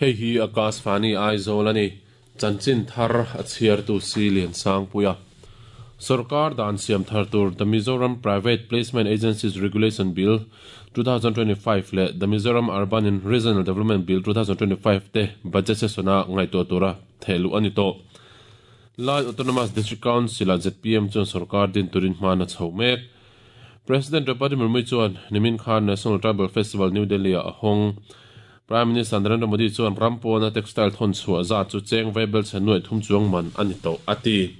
Hei hi Akashvani Aizawl a ni. Chanchin thar a chhiartu si Liansangpuia. Sorkar dan siam thar tur The Mizoram Private Placement Agencies Regulation Bill 2025 leh The Mizoram Urban and Regional Development Bill 2025 te budget session-a ngaihtuah tura thehluh a ni tawh. Lai Autonomous District Council-ah zpm chuan sorkar din turin hman a chho mek. President Draupadi Murmu chuan nimin khan National Tribal Festival New Delhi-ah a hawng. Prime Minister Narendra Modi chuan ram pawna textile thawn chhuah zat chu cheng vaibel chhe nuaih thum chuang man a ni tawh a ti.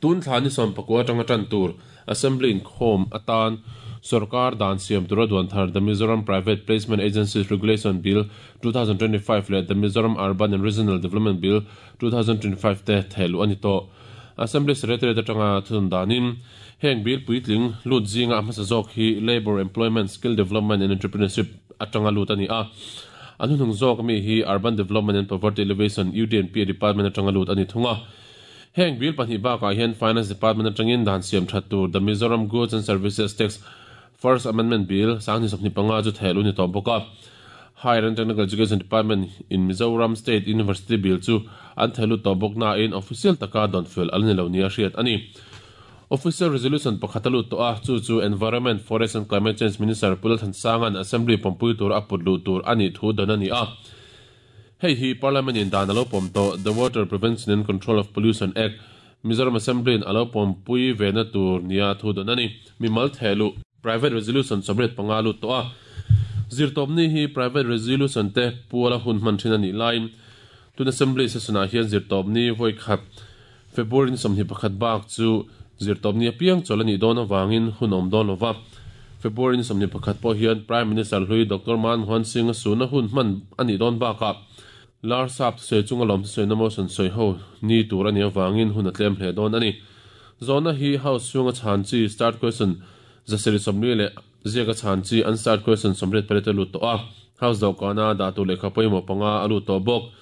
Tun thla ni 19 atanga tan tur Assembly inkhawm atan sorkar dan siam tura duan thar The Mizoram Private Placement Agencies Regulation Bill 2025 leh The Mizoram Urban and Regional Development Bill 2025 te thehluh a ni tawh. Assembly Secretariat atanga thunun danin heng bill puitling lut zinga a hmasa zawk hi Labour, Employment, Skill Development and Entrepreneurship atanga lut a ni a. A hnuhnung zawk mi hi Urban Development and Poverty Alleviation, UDNP, Department atanga lut a ni thung a. Heng bill pahnih bakah hian Finance Department atangin dan siam that tur The Mizoram Goods and Services Tax First Amendment Bill 2025 chu thehluh a ni tawh bawk a. Higher and Technical Education Department in Mizoram State University Bill chu an thehlut tawh bawk nain official taka dawn fel a la ni lo nia hriat a ni. Official Resolution pakhat a lut tawh a, chu chu Environment, Forest and Climate Change Minister Pu Lalthansanga'n Assembly pawmpui tura a put luh tur a nih thu dawn a ni a. Hei hi Parliament in dan a lo pawm tawh The Water Prevention and Control of Pollution Act, Mizoram Assembly in a lo pawmpui vena tur nia thu dawn a ni. Mimal thehluh, Private Resolution 85 lut tawh a, zirtawpni hi Private Resolution te puala hun hman thin a nih laiin tun Assembly session ah hian zirtawpni vawi khat February ni 21 bak chu zirtawpni apiang chawl a nih dawn avangin hun awm dawn lova. February ni 21 pawh hian Prime Minister hlui Doctor Manmohan Singh a suna hun hman a nih dawn bakah Lar sap thusawi chunga lawm thusawina motion sawi ho ni tur a nih avangin hun a tlem hle dawn a ni. Zawhna hi House chhunga chhan chi start question 740 leh ziaka chhan chi unstarred question 88 a lut tawh a. House dawhkana dah tur lehkha pawimawh panga a lut tawh bawk.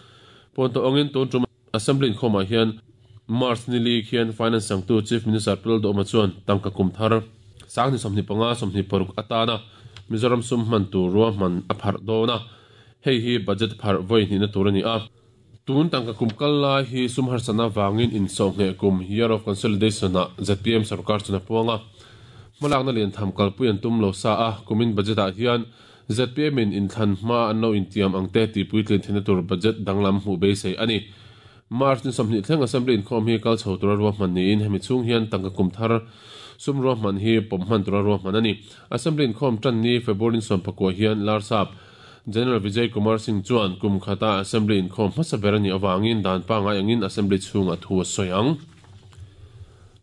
Pawn tawh angin tun tum Assembly inkhawmah hian March ni li khian Finance sangtu Chief Minister Pu Lalduhoma chuan tangka kum thar 2025 26 atana Mizoram sum hman tur ruahman a pharh dawn a. Hei hi budget pharh vawi hnihna tur a ni a. Tun tangka kum kal lai hi sum harsatna avangin insawhngheh kum, Year of Consolidation, ah zpm sorkar chuan a puang a. Hmalakna lian tham kalpui an tum lo sa a, kumin budget ah hian zpm in inthlan hma an lo intiam ang te tih puitlin theihna tur budget danglam hmuh beisei a ni. March ni 20 thleng Assembly inkhawm hi kal chho tura ruahman niin hemi chhung hian tangka kum thar sum ruahman hi pawm hman tura ruahman a ni. Assembly inkhawm tan ni February ni 19 hian Larsap General Vijay Kumar Singh chuan kum khata Assembly inkhawm hmasa ber a nih avangin dan pangngai angin Assembly chhungah thu a sawi ang.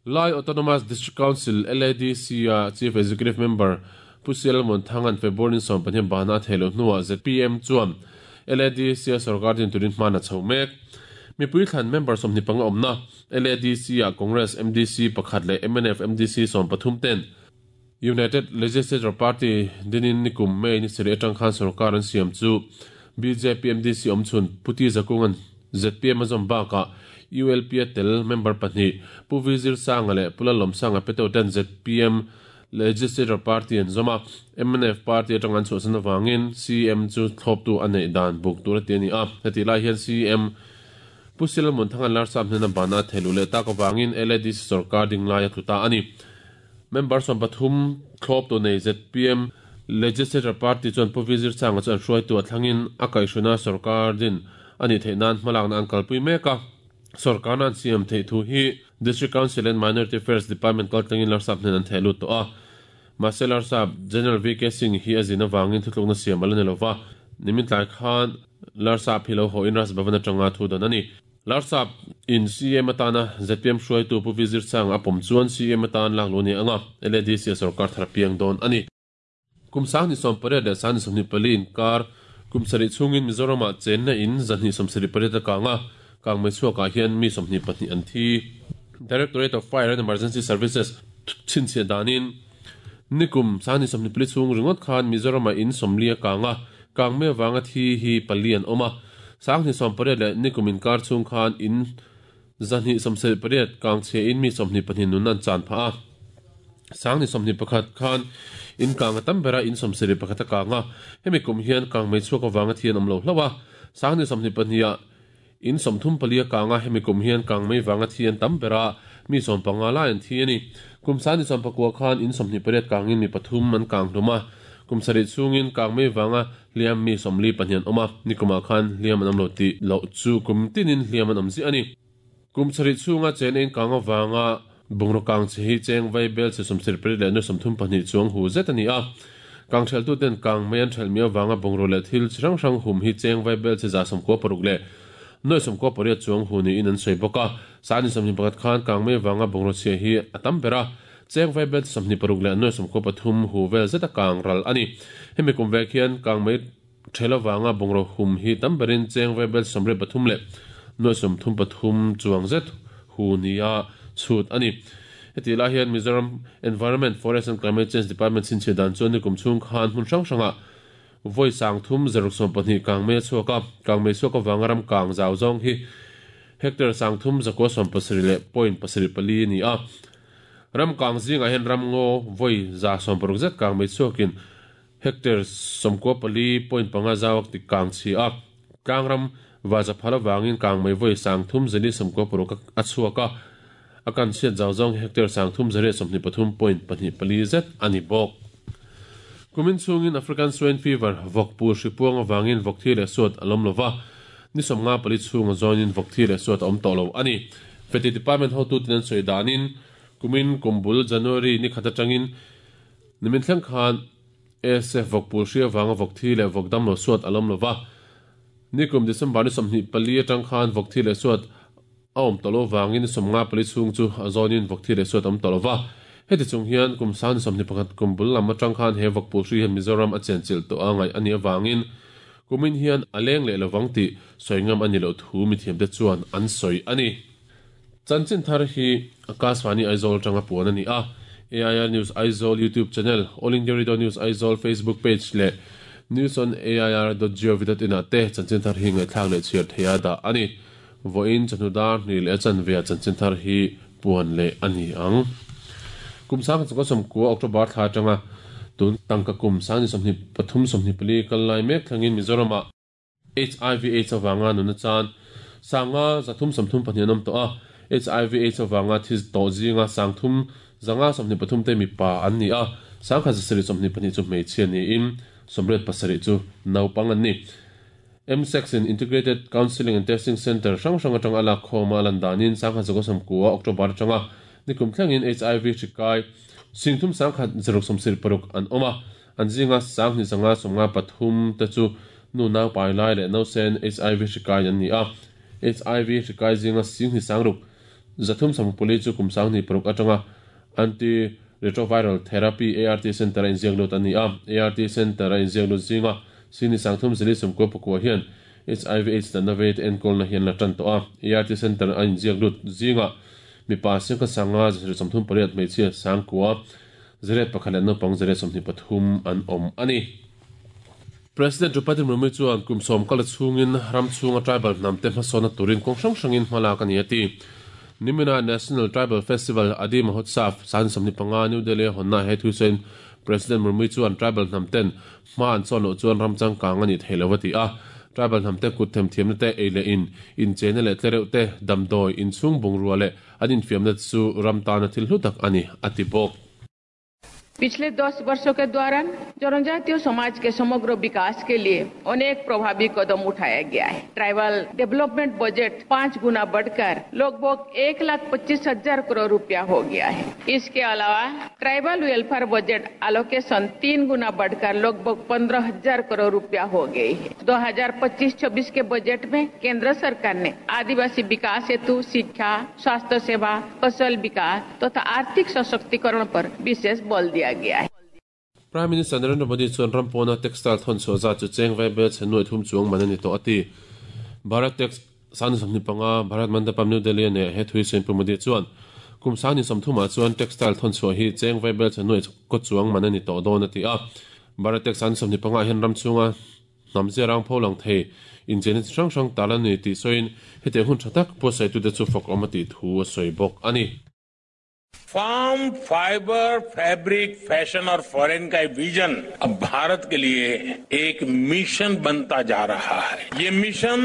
Lai Autonomous District Council, LADC, a Chief Executive Member Pu Sial Muanthanga'n February ni 15 bana a theih loh hnuah zpm chuan LADC a sorkar din turin hman a chho mek. Mipui thlan member 25 awmna LADC ah Congress MDC pakhat leh mnf MDC 13 ten United Legislature Party dinin nikum May ni sarih atang khan sorkar an siam chu bjp MDC awmchhun Pu T Zakunga'n zpm a zawm bakah ULP a tel member pahnih Pu V Zirsanga leh Pu Lalawmsanga Peteu ten zpm Legislature Party an zawm a, mnf party atang an chhuahsan avangin CM chu thlawptu a neih dan buk tur a ti a ni a. Hetih lai hian CM Pu Silmun Thanga'n Larsap hnena bana a thehluh leh tak avangin LADC sorkar ding lai a tlu ta a ni. Member 13 thlawp tu nei zpm Legislature Party chuan Pu Vizir Changa chu an hruaitu a thlangin a kaihhruna sorkar din a nih theih nan hmalakna an kalpui mek a. Sorkarna an siam theih thu hi District Council and Minority Affairs Department kaltlangin Larsap hnen an theh lut tawh a. Mahse Larsap General VK Singh hi a zin avangin thutlukna siam a la ni lova. Nimin tlai khan Larsap hi lo haw in Raj Bhavan atanga thu dawn a ni. Larsap in CM atana zpm hruaitu Pu Vizir Changa a pawm chuan CM atan lak luh a ni ang a, LADC a sorkar thar a piang dawn a ni. Kum 2008 leh 2024 inkar kum sarih chhungin Mizoramah chenna in 278 a kang a, kang mai chhuakah hian mi 22 an thi. Directorate of Fire and Emergency Services chhinchhiah danin nikum 2024 chhung ringawt khan Mizoramah in 40 a kang a, kang mai avanga thi hi pali an awm a. 2008 leh nikum inkar chhung khan in 278 kang chhia in mi 24 nun an chan phah a. 2021 khan in kang a tam bera in 71 a kang a. Hemi kum hian kang mai chhuak avanga thi an awm lo hlauh a. 2022 ah in 34 a kang a, hemi kum hian kangmei vanga thi an tam ber a, mi 15 lai an thi a ni. Kum 2019 khan in 28 kangin mi pathum an kang hlum a, kum sarih chhungin kangmei vanga hliam mi 42 an awm a, nikumah khan hliam an awm lo tih loh chu kum tinin hliam an awm ziah a ni. Kum sarih chhunga chen ein kang avanga bungraw kang chhe hi cheng vai bel chhe 74 leh nuai 32 chuang hu zet a ni a. Kang theltuten kang mei an thelh mi avanga bungraw leh thil chi hrang hrang hum hi cheng vai bel chhe 96 leh nuai 98 chuang hu niin an sawi bawk a. Sani 21 khan kang mei avanga bungraw chhia hi a tam ber a, cheng vai bel chhe 26 leh nuai 93 hu vel zet a kang ral a ni. Hemi kum vek hian kang mei Ṭhel avanga bungraw hum hi tam berin cheng vaibel 83 leh nuai 33 chuang zet hu nia chhut a ni. Hetih lai hian Mizoram Environment, Forest and Climate Change Department chhinchhiah dan chuan nikum chhung khan hmun hrang hrangah vawi 3062 kangmei a chhuak a, kangmei chhuak avanga ram kang zau zawng hi hectare 3,970 leh point pasarih pali a ni a. Ram kang zingah hian ram ngaw vawi 160 zet kangmei chhuakin Hectare 94.5 zauak ti kang chhi a, tlangram vaza phal avangin kangmei vawi 3496 a chhuak a, a kan chhiat zau zawng hi hectare 323.24 zet a ni bawk. Kumin chhungin African Swine Fever, vawk pul hri puang avangin vawk thi leh suat a lawm lova, ni 54 chhunga zawnin vawk thi leh suat a awm tawh lo a ni. Feti Department hotuten an sawi danin kumin kum bul January ni khat atangin Nimin thleng khan ASF vawk pul hri avanga vawk thi leh vawk dam lo suat a lawm lo va. Nikum December ni 24 atang khan vawk thi leh suat a awm tawh lo vangin ni 54 chhung chu a zawnin vawk thi leh suat a awm tawh lo va. Heti chung hian kum sang ni 21 kum bul lam atang khan he vawk pul hri hian Mizoram a chenchilh tawh a ngaih a nih avangin kumin hian a leng leh lovang tih sawi ngam a ni loh thu mithiamte chuan an sawi a ni. Chanchin thar hi Akashvani Aizawl atanga puan a ni a, AIR News Aizawl YouTube channel, All India Radio News Aizawl Facebook page leh newsonair.gov.in ah te chanchin thar hi ngaihthlak leh chhiar theia dah a ni. Vawiin chawhnu dar hnih leh a chanve ah chanchin thar hi puan leh a ni ang. Kum 1990 October thla atanga tun tangka kum 2023 24 kal lai mek thlangin Mizoram ah HIV Aids avanga nuna chan sanga 332 an awm tawh a, HIV Aids avanga thi tawh zinga 3523 te mipa an ni a, 1722 chu hmeichhia niin 87 chu naupang an ni. MSEX in Integrated Counselling and Testing Centre hrang hrang atanga a lak khawma a lan danin 1999 October atanga nikum thlengin HIV hri kai 3176 an awm a, An zinga 2553 te chu nu naupai lai leh nausen HIV hri kai an ni a. HIV hri kai zinga 26 360 chu kum 26 atanga Anti-Retroviral Therapy, ART, Centre a inziak lut an ni a. ART Centre a inziak lut zinga 2399 hian HIV AIDS natna vei te enkawlna hi an la tan tawh a. ART Centre a inziak lut zinga mipa 1538 hmeichhia 9,000 Zariat pakhat leh naupang zariat 23 an awm a ni. President Draupadi Murmu chuan kum sawm kal chhungin ram chhunga tribal hnamte hmasawnna turin kawng hrang hrangin hma lak a ni a ti. Nimina National Tribal Festival Adi Mahotsav 25 New Delhi a hawnna he thu sawiin President Murmu chuan tribal hnamten hma an chawn loh chuan ram changkang a nih theih lo a ti a. Tribal hnamte kut themthiamna te ei leh in, incheina leh tlereuh te, damdawi, inchhung bungrua leh an infiamna chu ram tana thil hlu tak a ni a ti bawk. पिछले 10 वर्षों के दौरान जनजातीय समाज के समग्र विकास के लिए अनेक प्रभावी कदम उठाया गया है। Tribal development budget 5 गुना बढ़कर लगभग 1,25,000 करोड़ रुपया हो गया है। इसके अलावा tribal welfare budget allocation 3 गुना बढ़कर लगभग 15,000 करोड़ रुपया हो गई है। 2025-26 के बजट में केंद्र सरकार ने आदिवासी विकास हेतु शिक्षा, स्वास्थ्य सेवा, कौशल विकास तथा आर्थिक सशक्तिकरण पर विशेष बल दिया गया है। Prime Minister Narendra Modi chuan ram pawna textile thawn chhuah zat chu cheng vai bel chhe nuai thum chuang man a ni tawh a ti. Bharat Tex 25 Bharat Mandapam New Delhi a neih he thui Senpu Modi chuan kum 30 ah chuan textile thawn chhuah hi cheng vai bel chhe nuai kaw chuang man a ni tawh dawn a ti a. Bharat Tex 25 ah hian ram chhunga hnam zia rang pho lang thei incheina chi hrang hrang tal a ni tih sawiin hetiang hun tha tak buatsaitute chu fak awm a tih thu a sawi bawk a ni. Farm fibre fabric fashion और foreign का विजन अब भारत के लिए एक मिशन बनता जा रहा है। ये मिशन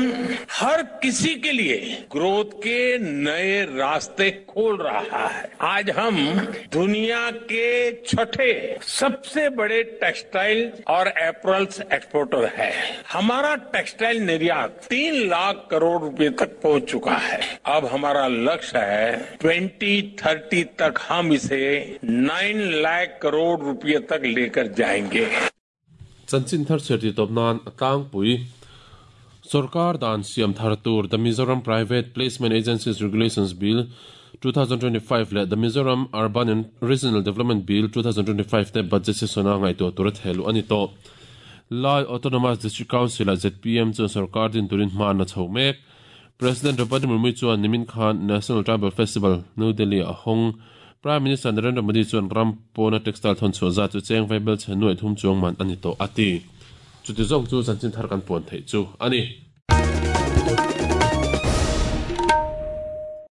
हर किसी के लिए ग्रोथ के नए रास्ते खोल रहा है। आज हम दुनिया के छठे सबसे बड़े टेक्सटाइल और एपरल्स एक्सपोर्टर है। हमारा टेक्सटाइल निर्यात 3 लाख करोड़ रुपए तक पहुंच चुका है। अब हमारा लक्ष्य है 2030 तक हम इसे 9 लाख करोड़ रुपए तक लेकर जाएंगे। Chanchin thar chhiar tih tawp nan a tlangpui. Sorkar dan siam thar tur The Mizoram Private Placement Agencies Regulations Bill, 2025 leh The Mizoram Urban and Regional Development Bill, 2025 te budget session-a ngaihtuah tura thehluh a ni tawh. Lai Autonomous District Council-ah zpm chuan sorkar din turin hma an la chho mek. President Draupadi Murmu chuan nimin khan National Tribal Festival, New Delhi-ah a hawng. Prime Minister Narendra Modi chuan ram pawna textile thawn chhuah zat chu cheng vaibel chhe nuaih thum chuang man a ni tawh a ti. Chuti zawng chu chanchin thar kan puan theih chu a ni.